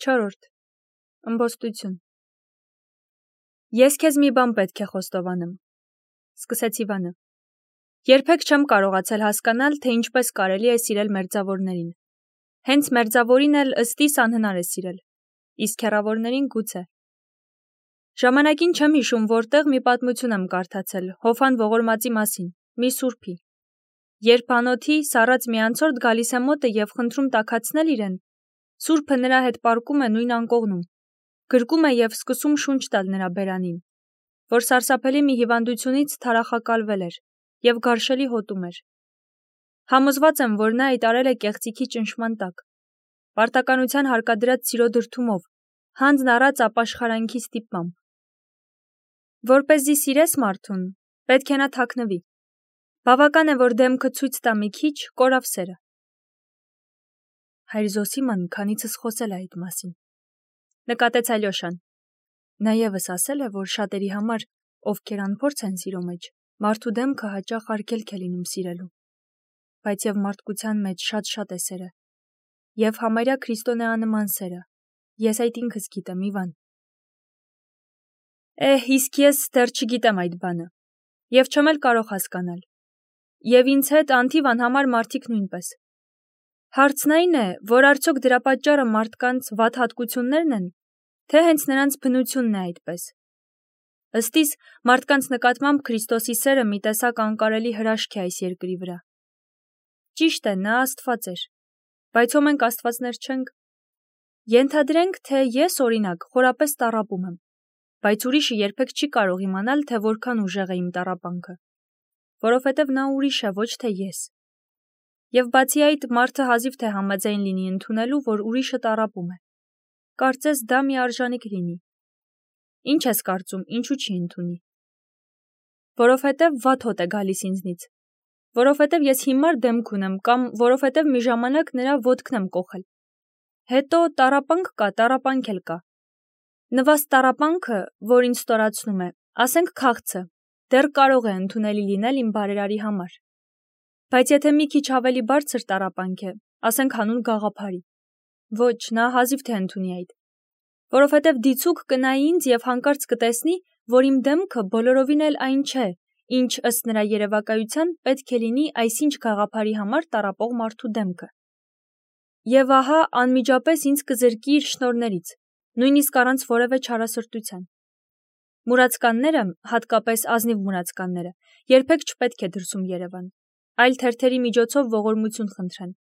4. Ըմբոստություն։ Ես քեզ մի բան պետք է խոստովանեմ, սկսեց Իվանը։ Երբեք չեմ կարողացել հասկանալ, թե ինչպես կարելի է սիրել մերձավորներին։ Հենց մերձավորին էլ ըստիս անհնար է սիրել, իսկ հեռավորներին գուցե։ Ժամանակին չեմ հիշում, որտեղ մի պատմություն եմ կարդացել Հովհան ողորմածի մասին, մի սուրբի։ Երբ անոթի սառած մի անցորդ գալիս է մոտը և խնդրում տաքացնել իրեն, սուրբը նրա հետ պառկում է նույն անկողնում, գրկում է և սկսում շունչ տալ նրա բերանին, որ սարսափելի մի հիվանդությունից թարախակալվել էր և գարշելի հոտում էր։ Համոզված եմ, որ նա այդ արել է կեղծիքի ճնշման տակ, պարտականության հարկադրած սիրո դրդումով, հանձն առած ապաշխարանքի ստիպմամբ։ Որպեսզի սիրես մարդուն, պետք է նա թաքնվի։ Բավական է, որ դեմքը ցույց տա մի քիչ, կորավ սերը։ Հայր Զոսիման քանիցս խոսել է այդ մասին, նկատեց Ալյոշան։ Նա ևս ասել է, որ շատերի համար, ովքեր անփորձ են սիրո մեջ, մարդու դեմքը հաճախ արգելք է լինում սիրելու, բայց և մարդկության մեջ շատ է սերը, և համարյա քրիստոնեանման սերը, ես այդ ինքս գիտեմ, Իվան։ Իսկ ես դեռ չգիտեմ այդ բանը, և չեմ էլ կարող հասկանալ, և ինձ հետ անթիվ անհամար մարդիկ նույնպես։ Հարցն այն է, որ արդյոք դրա պատճառը մարդկանց վատ հատկություններն են, թե հենց նրանց բնությունն է այդպես։ Ըստիս մարդկանց նկատմամբ Քրիստոսի սերը մի տեսակ անկարելի հրաշք է այս երկրի վրա։ Ճիշտ է, նա Աստված էր, բայց ո մենք աստվածներ չենք։ Ենթադրենք, թե ես օրինակ խորապես տառապում եմ, բայց ուրիշը երբեք չի կարող իմանալ, թե որքան ուժեղ է իմ տառապանքը, որովհետև նա ուրիշ է, ոչ թե ես։ Եվ բացի այդ, մարդը հազիվ թե համաձայն լինի ընդունելու, որ ուրիշը տառապում է։ Կարծես դա մի արժանիք լինի։ Ինչ ես կարծում, ինչու չի ընդունի։ Որովհետև վատ հոտ է գալիս ինձնից, որովհետև ես հիմար դեմք ունեմ կամ որովհետև մի ժամանակ նրա ոտքն եմ կոխել։ Հետո տառապանք կա, տառապանք էլ կա։ Նվաստ տառապանքը, որ ինձ ստորացնում է, ասենք քաղցը, դեռ կարող է ընդունելի լինել իմ բարերարի համար։ Բայց եթե մի քիչ ավելի բարձր տառապանք է, ասենք հանուն գաղափարի, ոչ, նա հազիվ թե ընդունի այդ, որովհետև դիցուք կնայի ինձ և հանկարծ կտեսնի, որ իմ դեմքը բոլորովին էլ այն չէ, ինչ ըստ նրա երևակայության պետք է լինի այսինչ գաղափարի համար տառապող մարդու դեմքը։ Եվ ահա անմիջապես ինձ կզրկի իր շնորհներից, նույնիսկ առանց որևէ չարասրտության։ Մուրացկանները, հատկապես ազնիվ մուրացկանները, երբեք չպետք է դրսում երևան, այլ թերթերի միջոցով ողորմություն խնդրեն։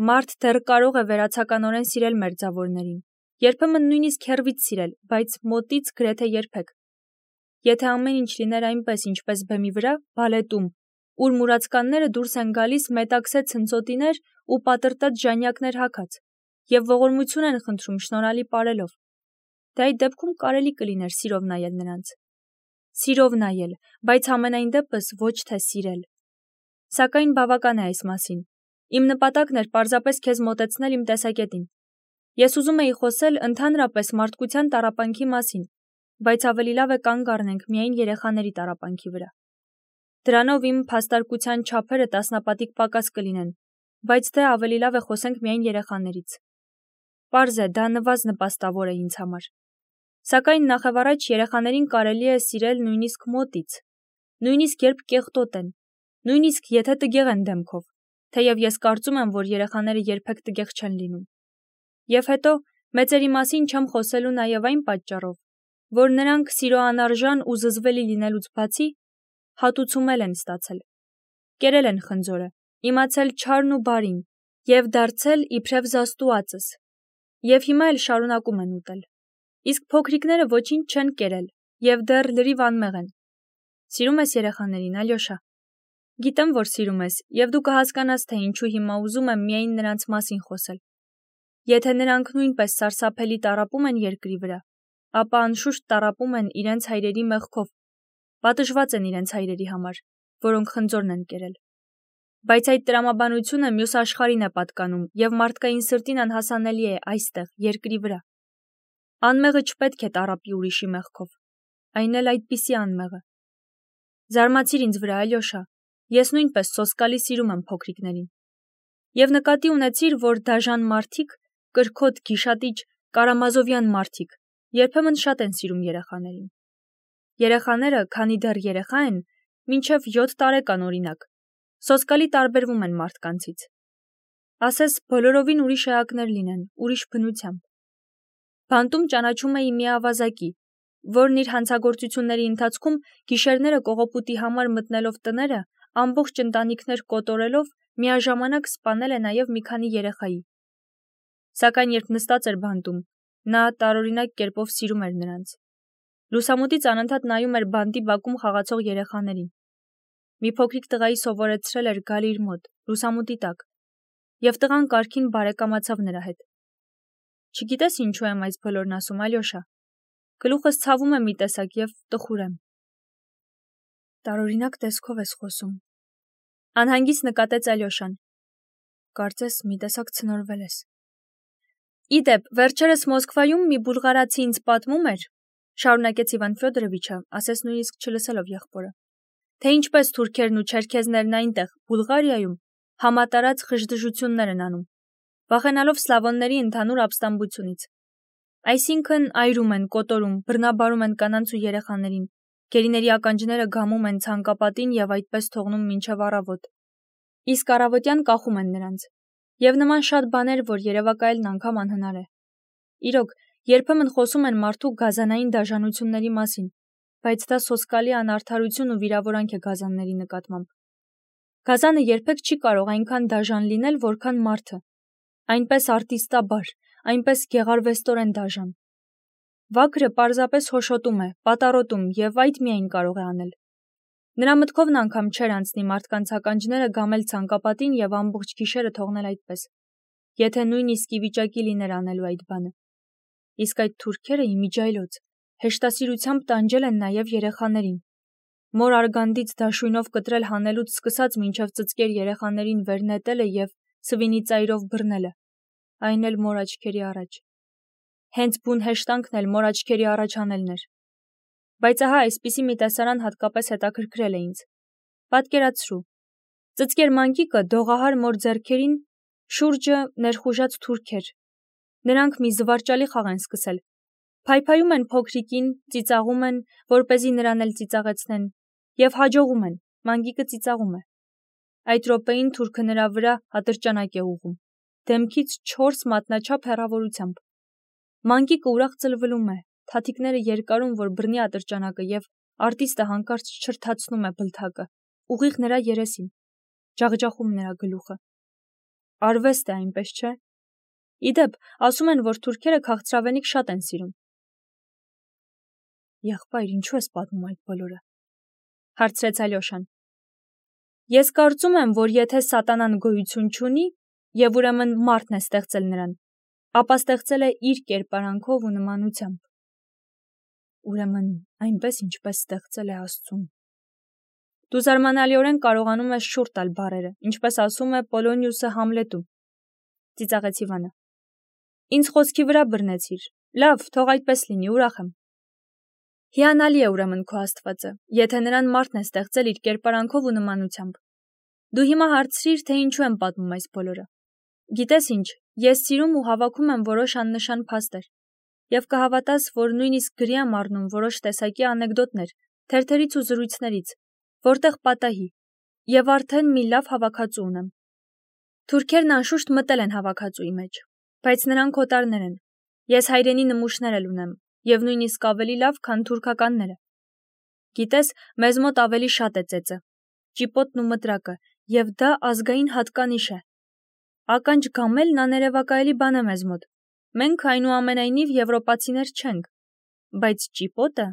Մարդ դեռ կարող է վերացականորեն սիրել մերձավորներին, երբեմն նույնիսկ հեռվից սիրել, բայց մոտից գրեթե երբեք։ Եթե ամեն ինչ լիներ այնպես, ինչպես բեմի վրա, բալետում, ուր մուրացկանները դուրս են գալիս մետաքսե ցնցոտիներ ու պատրտած ժանյակներ հագած, և ողորմություն են խնդրում շնորհալի պարելով, դե այդ դեպքում կարելի կլիներ սիրով նայել նրանց։ Սիրով նայել, բայց համենայն դեպս ոչ թե սիրել։ Սակայն բավական է այս մասին։ Իմ նպատակն էր պարզապես քեզ մոտեցնել իմ տեսակետին։ Ես ուզում էի խոսել ընդհանրապես մարդկության տառապանքի մասին, բայց ավելի լավ է կանգ առնենք միայն երեխաների տառապանքի վրա։ Դրանով իմ փաստարկության չափերը տասնապատիկ պակաս կլինեն, բայց թե ավելի լավ է խոսենք միայն երեխաներից։ Պարզ է, դա նվազ նպաստավոր է ինձ համար։ Սակայն նախևառաջ երեխաներին կարելի է սիրել նույնիսկ մոտից, նույնիսկ երբ կեղտոտ են, նույնիսկ եթե տգեղ են դեմքով, թեև ես կարծում եմ, որ երեխաները երբեք տգեղ չեն լինում։ Եվ հետո մեծերի մասին չեմ խոսելու նաև այն պատճառով, որ նրանք սիրո անարժան ու զզվելի լինելուց բացի հատուցումել են ստացել, կերել են խնձորը, իմացել չարն ու բարին և դարձել իբրև զաստուածս, և հիմա էլ շարունակում են ուտել։ Իսկ փոքրիկները ոչինչ չեն կերել և դեռ լրիվ անմեղ են։ Սիրում ես երեխաներին, Ալյոշա։ Գիտեմ, որ սիրում ես, և դու կհասկանաս, թե ինչու հիմա ուզում եմ միայն նրանց մասին խոսել։ Եթե նրանք նույնպես սարսափելի տառապում են երկրի վրա, ապա անշուշտ տառապում են իրենց հայրերի մեղքով, պատժված են իրենց հայրերի համար, որոնք խնձորն են կերել։ Բայց այդ տրամաբանությունը մյուս աշխարհին է պատկանում և մարդկային սրտին անհասանելի է այստեղ, երկրի վրա։ Անմեղը չպետք է տառապի ուրիշի մեղքով, այն էլ այդպիսի անմեղը։ Զարմացիր ինձ վրա, Ալյոշա, ես նույնպես սոսկալի սիրում եմ փոքրիկներին։ Եվ նկատի ունեցիր, որ դաժան մարդիկ, կրքոտ, գիշատիճ, կարամազովյան մարդիկ, երբեմն շատ են սիրում երեխաներին։ Երեխաները, քանի դեռ երեխա են, մինչև 7 տարեկան օրինակ, սոսկալի տարբերվում են մարդկանցից։ Ասես բոլորովին ուրիշ էակներ լինեն, ուրիշ բնությամբ։ Բանտում ճանաչում էի մի ավազակի, որն իր հանցագործությունների ընթացքում գիշերները կողոպուտի համար մտնելով տները, ամբողջ ընտանիքներ կոտորելով, միաժամանակ սպանել է նաև մի քանի երեխայի։ Սակայն երբ նստած էր բանտում, նա տարօրինակ կերպով սիրում էր նրանց։ Լուսամուտից անընդհատ նայում էր բանտի բակում խաղացող երեխաներին։ Մի փոքրիկ տղայի սովորեցրել էր գալ իր մոտ, լուսամուտի տակ, և տղան կարգին բարեկամացավ նրա հետ։ Չգիտես ինչու եմ այս բոլորն ասում, Ալյոշա։ Գլուխս ցավում է մի տեսակ և տխուր եմ։ Տարօրինակ տեսքով ես խոսում։ Անհանգիստ նկատեց Ալյոշան։ Կարծես մի տեսակ ցնորվել ես։ Իդեպ, վերջերս Մոսկվայում մի բուլղարացի ինձ պատմում էր, շարունակեց Իվան Ֆյոդորովիչը, ասես նույնիսկ չլսելով եղբորը, թե ինչպես թուրքերն ու չերքեզներն այնտեղ, Բուլղարիայում, համատարած խժդժություններ են անում, վախենալով սլավոնների ընդհանուր ապստամբությունից։ Այսինքն այրում են, կոտորում, բռնաբարում են կանանց ու երեխաներին, գերիների ականջները գամում են ցանկապատին և այդպես թողնում մինչև առավոտ։ Իսկ առավոտյան կախում են նրանց։ Եվ նման շատ բաներ, որ երևակայելն անգամ անհնար է։ Իրոք, երբեմն խոսում են մարդու գազանային դաժանությունների մասին, բայց դա սոսկալի անարդարություն ու վիրավորանք է գազանների նկատմամբ։ Գազանը երբեք չի կարող այնքան դաժան լինել, որքան մարդը, այնպես արտիստաբար, այնպես գեղարվեստորեն դաժան։ Վագրը պարզապես հոշոտում է, պատառոտում և այդ միայն կարող է անել։ Նրա մտքովն անգամ չէր անցնի մարդկանց ականջները գամել ցանկապատին և ամբողջ գիշերը թողնել այդպես, եթե նույնիսկ ի վիճակի լիներ անելու այդ բանը։ Իսկ այդ թուրքերը իմիջիայլոց հեշտասիրությամբ տանջել են նաև երեխաներին։ Մոր արգանդից դաշույնով կտրել հանելուց սկսած մինչև ծծկեր երեխաներին վերնետելը և սվինի ծայրով բռնելը, այն էլ մոր աչքերի առաջ։ Հենց բուն հեշտանքն էլ մոր աչքերի առաջ անելն էր։ Բայց ահա այսպիսի մի տեսարան հատկապես հետաքրքրել է ինձ։ Պատկերացրու, ծծկեր մանկիկը դողահար մոր ձեռքերին շուրջը ներխուժած թուրքեր։ Նրանք մի զվարճալի խաղ են սկսել։ Փայփայում են փոքրիկին, ծիծաղում են, որպեսզի նրան էլ ծիծաղեցնեն, և հաջողում են, մանկիկը ծիծաղում է։ Այդ րոպեին թուրքը նրա վրա ատրճանակ է ուղղում, դեմքից 4 մատնաչափ հեռավորությամբ։ Մանկիկը ուրախ ծլվլում է, թաթիկները երկարում, որ բռնի ատրճանակը, և արտիստը հանկարծ չրթացնում է բլթակը, ուղիղ նրա երեսին, ջախջախում նրա գլուխը։ Արվեստ է, այնպես չէ։ Իդեպ, ասում են, որ թուրքերը քաղցրավենիք շատ են սիրում։ Եղբայր, ինչու ես պատմում այդ բոլորը, հարցրեց Ալյոշան։ Ես կարծում եմ, որ եթե սատանան գոյություն չունի, և ուրեմն մարդն է ստեղծել նրան, ապա ստեղծել է իր կերպարանքով ու նմանությամբ։ Ուրեմն այնպես, ինչպես ստեղծել է Աստծուն։ Դու զարմանալիորեն կարողանում ես շուռ տալ բառերը, ինչպես ասում է Պոլոնիուսը Համլետում, ծիծաղեց Իվանը։ Ինձ խոսքի վրա բռնեցիր։ Լավ, թող այդպես լինի, ուրախ եմ։ Հիանալի է ուրեմն քո Աստվածը, եթե նրան մարդն է ստեղծել իր կերպարանքով ու նմանությամբ։ Դու հիմա հարցրիր, թե ինչու եմ պատմում այս բոլորը։ Գիտես ինչ, ես սիրում ու հավաքում եմ որոշ աննշան փաստեր, և կհավատաս, որ նույնիսկ գրի եմ առնում որոշ տեսակի անեկդոտներ, թերթերից ու զրույցներից, որտեղ պատահի, և արդեն մի լավ հավաքածու ունեմ։ Թուրքերն անշուշտ մտել են հավաքածուի մեջ, բայց նրանք օտարներ են։ Ես հայրենի նմուշներ էլ ունեմ, և նույնիսկ ավելի լավ, քան թուրքականները։ Գիտես, մեզ մոտ ավելի շատ է ծեծը, ճիպոտն ու մտրակը, և դա ազգային հատկանիշ է։ Ականջ գամելն աներևակայելի բան է մեզ մոտ։ Մենք այնուամենայնիվ եվրոպացիներ չենք, բայց ճիպոտը,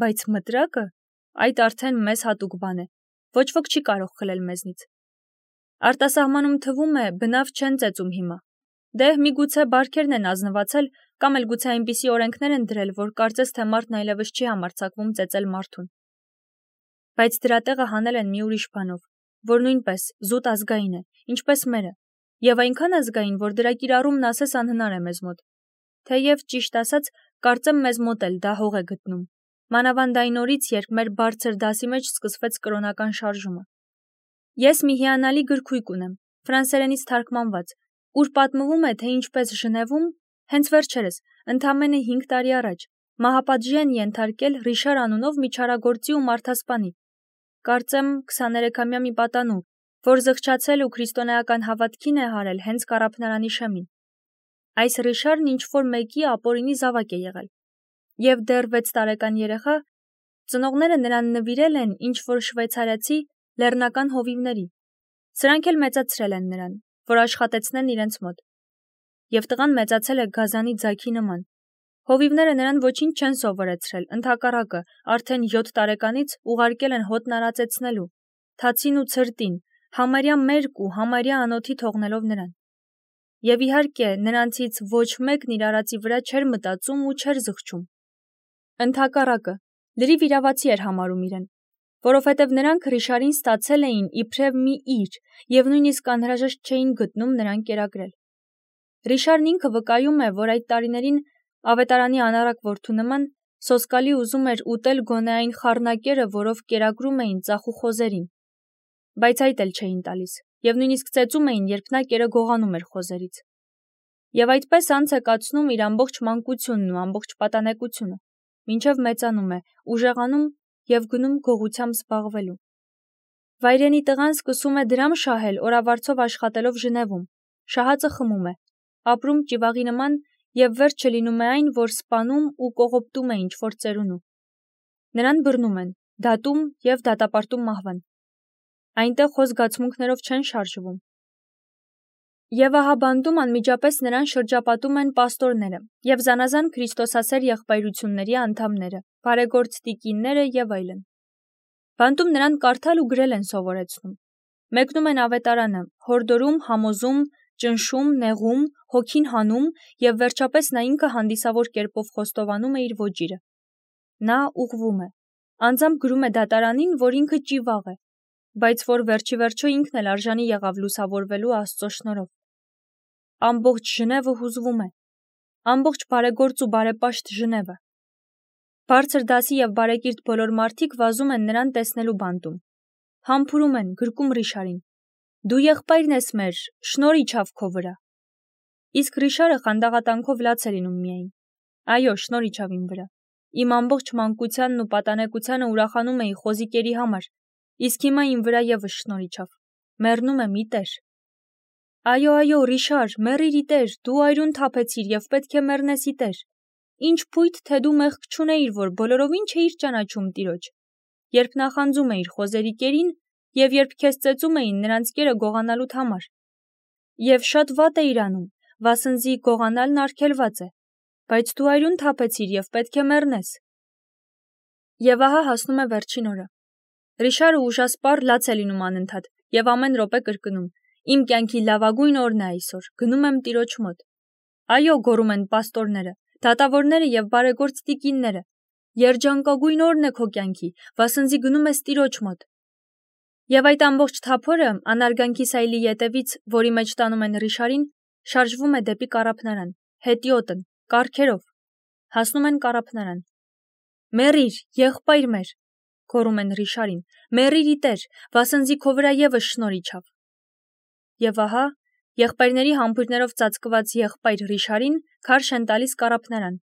բայց մտրակը, այդ արդեն մեզ հատուկ բան է, ոչ ոք չի կարող խլել մեզնից։ Արտասահմանում թվում է, բնավ չեն ծեծում հիմա։ Դե միգուցե բարքերն են ազնվացել, կամ էլ գուցե այնպիսի օրենքներ են դրել, որ կարծես թե մարդն այլևս չի համարձակվում ծեծել մարդուն։ Բայց դրա տեղը հանել են մի ուրիշ բանով, որ նույնպես զուտ ազգային է, ինչպես մերը, և այնքան ազգային, որ դրա կիրառումն ասես անհնար է մեզ մոտ։ Թեև ճիշտ ասած, կարծեմ մեզ մոտ էլ դա հող է գտնում, մանավանդ այն օրից, երբ մեր բարձր դասի մեջ սկսվեց կրոնական շարժումը։ Ես մի հիանալի գրքույկ ունեմ, ֆրանսերենից թարգմանված, ուր պատմվում է, թե ինչպես Ժնևում, Հենց վերջերս, ընդամենը 5 տարի առաջ, մահապատժի են ենթարկել Ռիշար անունով մի չարագործի ու մարդասպանի։ Կարծեմ 23-ամյա մի պատանու, որ զղջացել ու քրիստոնեական հավատքին է հարել հենց կառափնարանի շեմին։ Այս Ռիշարն ինչ-որ մեկի ապօրինի զավակ է եղել։ Եվ դեռ 6 տարեկան երեխա ծնողները նրան նվիրել են ինչ-որ շվեյցարացի լեռնական հովիվների։ Սրանք էլ մեծացրել են նրան, որ աշխատեցնեն իրենց մոտ։ Եվ տղան մեծացել է գազանի ձագի նման։ Հովիվները նրան ոչինչ չեն սովորեցրել, ընդհակառակը, արդեն 7 տարեկանից ուղարկել են հոտն արածեցնելու, թացին ու ցրտին, համարյա մերկ ու համարյա անոթի թողնելով նրան։ Եվ իհարկե, նրանցից ոչ մեկն իր արածի վրա չէր մտածում ու չէր զղջում։ Ընդհակառակը, լրիվ իրավացի էր համարում իրեն, որովհետև նրանք Ռիշարին ստացել էին իբրև մի իր և նույնիսկ անհրաժեշտ չէին գտնում նրան կերակրել։ Ռիշարն ինքը վկայում է, որ այդ տարիներին ավետարանի անառակ որդու նման սոսկալի ուզում էր ուտել գոնե այն խառնակերը, որով կերակրում էին ծախու խոզերին, բայց այդ էլ չէին տալիս, և նույնիսկ ծեծում էին, երբ նա կերը գողանում էր խոզերից։ Եվ այդպես անց է կացնում իր ամբողջ մանկությունն ու ամբողջ պատանեկությունը, մինչև մեծանում է, ուժեղանում և գնում գողությամբ զբաղվելու։ Վայրենի տղան սկսում է դրամ շահել օրավարձով աշխատելով Ժնևում, շահածը խմում է, ապրում ճիվաղի նման և վերջը լինում է այն, որ սպանում ու կողոպտում է ինչ-որ ծերունու։ Նրան բռնում են, դատում և դատապարտում մահվան։ Այնտեղ հո զգացմունքներով չեն շարժվում։ Եվ ահա բանտում անմիջապես նրան շրջապատում են պաստորները և զանազան քրիստոսասեր եղբայրությունների անդամները, բարեգործ տիկինները և այլն։ Բանտում նրան կարդալ ու գրել են սովորեցնում։ Մեկնում են ավետարանը, հորդորում, համոզում, ճնշում, նեղում, հոգին հանում և վերջապես նա ինքը հանդիսավոր կերպով խոստովանում է իր ոճիրը։ Նա ուղղվում է, անձամբ գրում է դատարանին, որ ինքը ճիվաղ է, բայց որ վերջի վերջո ինքն էլ արժանի եղավ լուսավորվելու Աստծո շնորհով։ Ամբողջ Ժնևը հուզվում է, ամբողջ բարեգործ ու բարեպաշտ Ժնևը։ Բարձր դասի և բարեկիրթ բոլոր մարդիկ վազում են նրան տեսնելու բանտում։ Համբուրում են, գրկում Ռիշարին. «Դու եղբայրն ես մեր, շնորհ իջավ քո վրա»։ Իսկ Ռիշարը խանդաղատանքով լաց է լինում միայն. «Այո, շնորհ իջավ իմ վրա։ Իմ ամբողջ մանկությանն ու պատանեկությանը ուրախանում էի խոզիկերի համար, իսկ հիմա իմ վրա ևս շնորհ իջավ։ Մեռնում եմ ի տեր»։ Այո, այո, Ռիշար, մեռիր ի տեր, դու այրուն թափեցիր և պետք է մեռնես ի տեր։ Ինչ փույթ, թե դու մեղք չունեիր, որ բոլորովին չէիր ճանաչում Տիրոջ, երբ նախանձում էիր խոզերի կերին և երբ քեզ ծեծում էին նրանց կերը գողանալուդ համար։ Եվ շատ վատ էիր անում, վասնզի գողանալն արգելված է, բայց դու այրուն թափեցիր և պետք է մեռնես։ Եվ ահա հասնում է վերջին օրը։ Ռիշարը ուժասպառ լաց է լինում անընդհատ և ամեն րոպե կրկնում. «Իմ կյանքի լավագույն օրն է այսօր, գնում եմ Տիրոջ մոտ»։ Այո, գոռում են պաստորները, դատավորները և բարեգործ տիկինները, երջանկագույն օրն է քո կյանքի, վասնզի գնում ես Տիրոջ մոտ։ Եվ այդ ամբողջ թափորը անարգանքի սայլի ետևից, որի մեջ տանում են Ռիշարին, շարժվում է դեպի կառափնարան, հետիոտն, կառքերով, հասնում են կառափնարան։ «Մեռիր, եղբայր մեր», գոռում են Ռիշարին, «մեռիր ի տեր, վասնզի քո վրա ևս շնորհ իջավ»։ Եվ ահա, եղբայրների համբույրներով ծածկված եղբայր Ռիշարին քարշ են տալիս կառափնարան,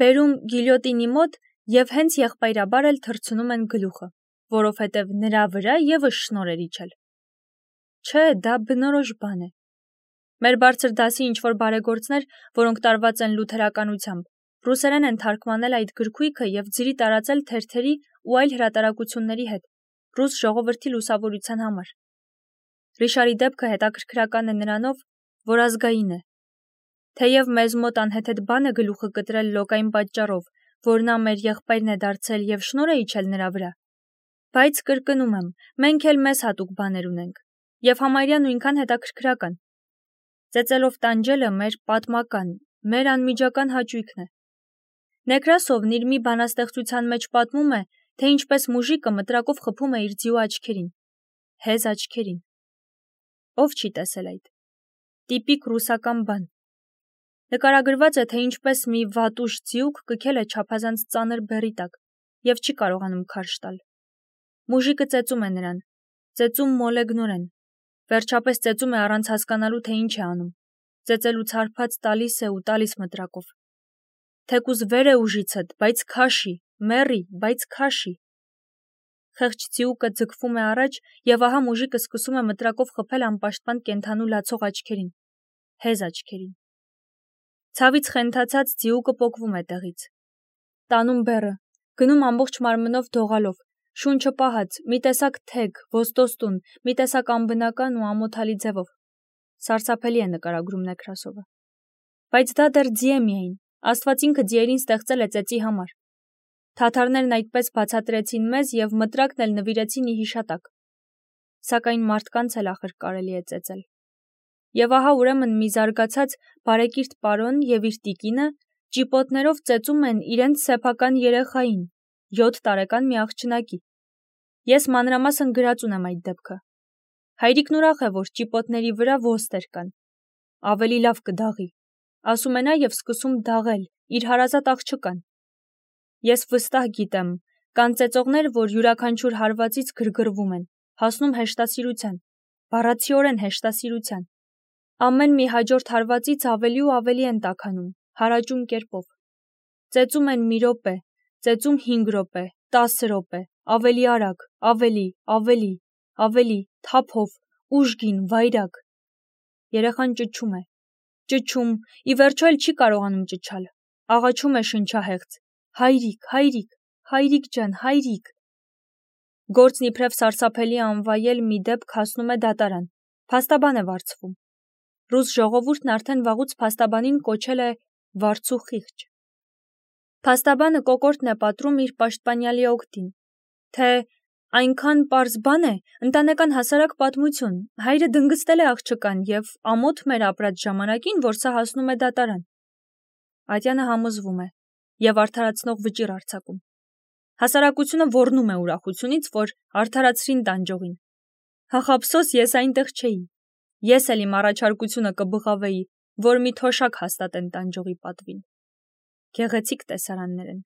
բերում գիլյոտինի մոտ և հենց եղբայրաբար էլ թռցնում են գլուխը, որովհետև նրա վրա ևս շնորհ էր իջել։ Չէ, դա բնորոշ բան է։ Մեր բարձր դասի ինչ-որ բարեգործներ, որոնք տարված են լութերականությամբ, ռուսերեն են թարգմանել այդ գրքույկը և ձրի տարածել թերթերի ու այլ հրատարակությունների հետ, ռուս ժողովրդի լուսավորության համար։ Ռիշարի դեպքը հետաքրքրական է նրանով, որ ազգային է։ Թեև մեզ մոտ անհեթեթ բան է գլուխը կտրել լոկային պատճառով, որ նա մեր եղբայրն է դարձել և շնորհ է իջել նրա վրա, բայց կրկնում եմ, մենք էլ մեզ հատուկ բաներ ունենք, և համարյա նույնքան հետաքրքրական։ Ծեծելով տանջելը մեր պատմական, մեր անմիջական հաճույքն է։ Նեկրասովն իր մի բանաստեղծության մեջ պատմում է, թե ինչպես մուժիկը մտրակով խփում է իր ձիու աչքերին, հեզ աչքերին։ Ով չի տեսել այդ։ Տիպիկ ռուսական բան։ Նկարագրված է, թե ինչպես մի վատուշ ձիուկ կքել է չափազանց ծանր բեռի տակ և չի կարողանում քարշ տալ։ Մուժիկը ծեծում է նրան, ծեծում մոլեգնորեն, վերջապես ծեծում է առանց հասկանալու, թե ինչ է անում։ ծեծելուց հարբած տալիս է ու տալիս մտրակով։ Թեկուզ վեր է ուժիցդ, բայց քաշի, մեռի, բայց քաշի։ Խեղճ ձիուկը ձգվում է առաջ եւ ահա մուժիկը սկսում է մտրակով խփել անպաշտպան կենդանու լացող աչքերին, հեզ աչքերին։ Ցավից խենթացած ձիուկը պոկվում է տեղից։ Տանում բեռը, գնում ամբողջ մարմնով դողալով, շունչը պահած, մի տեսակ թեք, ոստոստուն, մի տեսակ անբնական ու ամոթալի ձևով։ Սարսափելի է նկարագրում Նեքրասովը։ Բայց դա դեռ ձի է միայն, Աստված ինքը ձիերին ստեղծել է ծեծի համար։ Թաթարներն այդպես բացատրեցին մեզ եւ մտրակն էլ նվիրեցին ի հիշատակ։ Սակայն մարդկանց էլ ախր կարելի է ծեծել։ Եվ ահա ուրեմն մի զարգացած բարեկիրթ պարոն եւ իր տիկինը ճիպոտներով ծեծում են իրենց սեփական երեխային, 7 տարեկան մի աղջնակի։ Ես մանրամասն գրած ունեմ այդ դեպքը։ Հայրիկն ուրախ է, որ ճիպոտների վրա ոստեր կան։ Ավելի լավ կդաղի։ Ասում է նա եւ սկսում դաղել իր հարազատ աղջկան։ Ես վստահ գիտեմ, կան ծեծողներ, որ յուրաքանչյուր հարվածից գրգռվում են, հասնում հեշտասիրության, բառացիորեն հեշտասիրության։ Ամեն մի հաջորդ հարվածից ավելի ու ավելի են տաքանում, հարաճուն կերպով։ Ծեծում են մի րոպե, ծեծում 5 րոպե, 10 րոպե, ավելի արագ, ավելի, թափով, ուժգին, վայրագ։ Երեխան ճչում է, ճչում, ի վերջո էլ չի կարողանում ճչալ, աղաչում է շնչահեղձ. հայրիկ, հայրիկ, հայրիկ ջան, հայրիկ։ Գործն իբրև սարսափելի անվայել մի դեպք հասնում է դատարան, փաստաբան է վարձվում։ Ռուս ժողովուրդն արդեն վաղուց փաստաբանին կոչել է վարձու խիղճ։ Փաստաբանը կոկորդն է պատռում իր պաշտպանյալի օգտին, թե այնքան պարզ բան է, ընտանեկան հասարակ պատմություն, հայրը դնգստել է աղջկան եւ ամոթ մեր ապրած ժամանակին, որ սա հասնում է դատարան։ Ատյանը համոզվում է եւ արդարացնող վճիռ արձակում։ Հասարակությունը ոռնում է ուրախությունից, որ արդարացրին տանջողին։ Հախաբսոս ես այնտեղ չէի։ Ես էլ իմ առաջարկությունը կբղավեի, որ մի թոշակ հաստատեն տանջողի պատվին։ Գեղեցիկ տեսարաններ են։